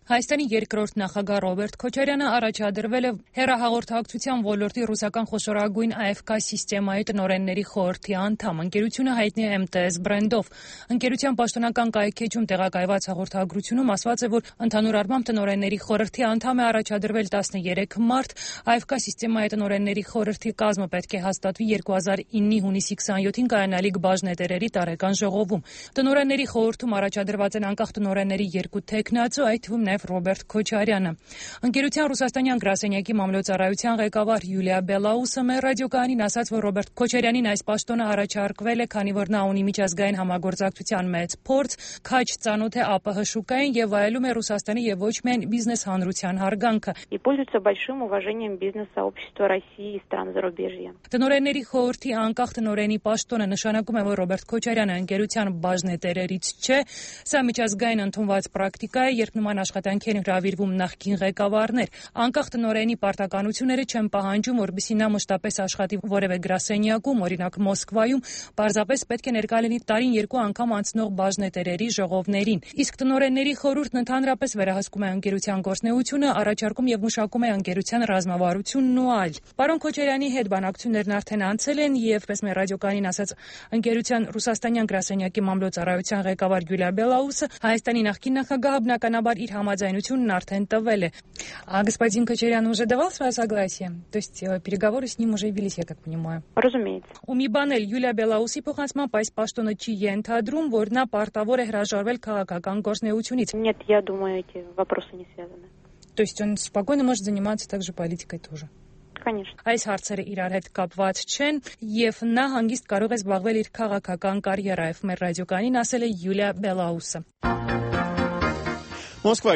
Հայաստանի երկրորդ նախագահ Ռոբերտ Քոչարյանը առաջադրվել է հեռահաղորդակցության ոլորտի ռուսական խոշորագույն ԱՖԿ սիստեմայի տնօրենների խորհրդի անդամ։ Ընկերությունը հայտնի է MTS բրենդով։ Ընկերության պաշտոնական կայքեջում տեղակայված հաղորդագրությունում ասված է, որ ընդհանուր առմամբ տնօրենների խորհրդի անդամ է առաջադրվել 13 մարդ։ ԱՖԿ սիստեմայի տնօրենների խորհրդի կազմը պետք է հաստատվի 2009-ի հունիսի 27-ին կայանալիք բաժնետերերի տարեկան ժողովում։ Տնօրենների խորհրդում առաջադրված են անկախ տնօրենների երկու թեկնածու, այդ թվում Ռոբերտ Քոչարյանը։ Ընկերության ռուսաստանյան գրասենյակի մամլոյցարայության ղեկավար Յուլիա Բելաուսը մեր ռադիոկայանին ասաց, որ Ռոբերտ Քոչարյանին այս պաշտոնը առաջարկվել է, քանի որ նա ունի միջազգային համագործակցության մեծ փորձ, քաջ ծանոթ է ԱՊՀ շուկային եւ վայելում է Ռուսաստանի եւ ոչ միայն բիզնես հանրության հարգանքը։ И пользуется большим уважением бизнес-сообщества России и стран зарубежья. Տնօրենների խորհրդի անկախ տնօրենի պաշտոնը նշանակում է, որ Ռոբերտ Քոչարյանը ընկերության բաժնետերերից չէ։ Սա միջազգային ընդունված պրակտիկա է, երբ նման աշխատանքի են հրավիրվում նախկին ղեկավարներ։ Անկախ տնօրենի պարտականությունները չեն պահանջում, որպեսզի նա մշտապես աշխատի որևէ գրասենյակում, օրինակ Մոսկվայում, պարզապես պետք է ներկա լինի տարին 2 անգամ անցնող բաժնետերերի ժողովներին։ Իսկ տնօրենների խորհուրդն ընդհանրապես վերահսկում է ընկերության գործունեությունը, առաջարկում եւ մշակում է ընկերության ռազմավարությունն ու այլ։ Պարոն Քոչարյանի հետ բանակցություններն արդեն անցել են եւ, պես մեր ռադիոկայանին ասաց ընկերության ռուսաստանյան գրասենյակի մամլոյցարայության ղեկավար Յուլիա Բելաուսը, Հայաստանի նախկին նախագահը բնականաբար իր համաձայնությունն արդեն տվել է։ А господин Кочарян уже давал свое согласие? То есть переговоры с ним уже велись, я как понимаю. Разумеется. У մի բան էլ Յուլիա Բելաուսի փոխանցմամբ այս պաշտոնը չի ենթադրում, որ նա պարտավոր է հրաժարվել քաղաքական գործունեությունից։ Нет, я думаю, эти вопросы не связаны. То есть он спокойно может заниматься также политикой тоже. Конечно. Այս հարցերը իրար հետ կապված չեն եւ նա հանգիստ կարող է զբաղվել իր քաղաքական կարիերայով։ Մեր ռադիոկայանին ասել է Յուլիա Բելաուսը։ Մոսկվա